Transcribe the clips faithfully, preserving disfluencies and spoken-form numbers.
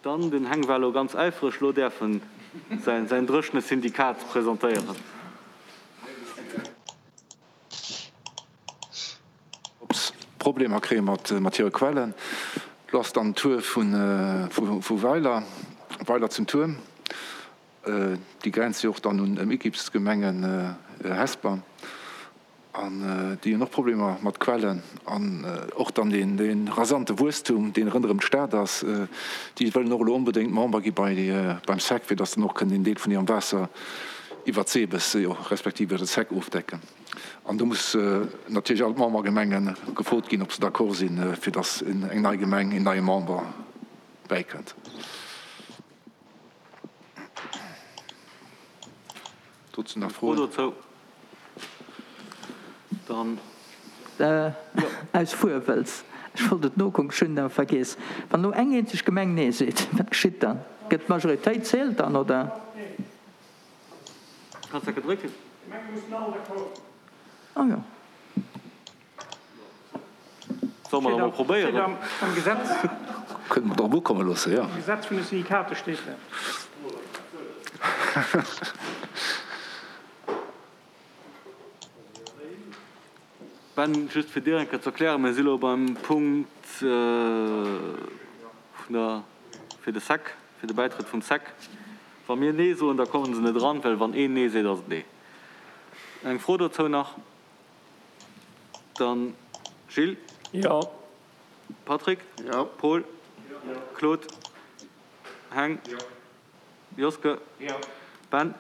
Dann, den Heng war elo ganz äifreg, elo däerf en säin dréchene Syndikat presentéieren. Problemer kréie mat hire Quellen. Lo ass dann d'Tour vu Weiler, Weiler zum Tuerm. Déi grenzt jo och dann un Ëmgibsgemengen Hesper. An déi hunn och Problemer mat Quellen. An och dann dee rasante Wuesstum, deen ronderëm d'Stad ass. Déi wëllen och elo onbedéngt Member gi beim sec, fir datt se dann och kënnen een Deel vun hirem Waasser iwwer d'Sebes, respektiv iwwer de sec ofdecken. An do muss natierlech all d'Membergemenge gefrot ginn, ob se d'accord sinn, fir datt eng nei Gemeng, een neie Member bäikënnt. Dozou nach Froen? Fro dozou? Dann. Aus Fuerwëlz, ech wollt et nokucken, ech hunn et awer vergiess. Wann elo eng eenzeg Gemeng Nee seet, wat geschitt dann? Gëtt d'Majoritéit zielt dann, oder? Kanns dat gedrécken? Ah jo. Solle mer da mol probéieren? Am Gesetz. Kënne mer drop ukomme loosse, jo. Am Gesetz vun de Syndikate steet dat. Ben, just fir dir eng Kéier ze erklären, mir si lo beim Punkt vun der, fir de sec, fir de Bäitrëtt vum sec. Wa mir Nee soen, da kommen se net eran, well wann een Nee seet, ass et Nee. Eng Fro dozou nach? Dann Gilles. Jo. Patrick. Jo. Paul. Jo. Claude. Heng. Jo. Joske. Jo. Ben.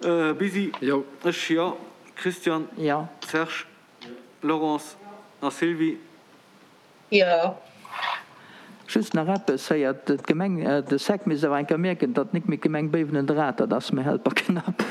Jo. Bisi. Jo. Ech jo. Christian. Jo. Serge. Jo. Laurence. A Sylvie. Jo. Just nach eppes, héiert d'Gemeng, de sec misst awer eng Kéier mierken, datt nik méi d'Gemeng Béiwen en Draht, dat ass méi helper knapp.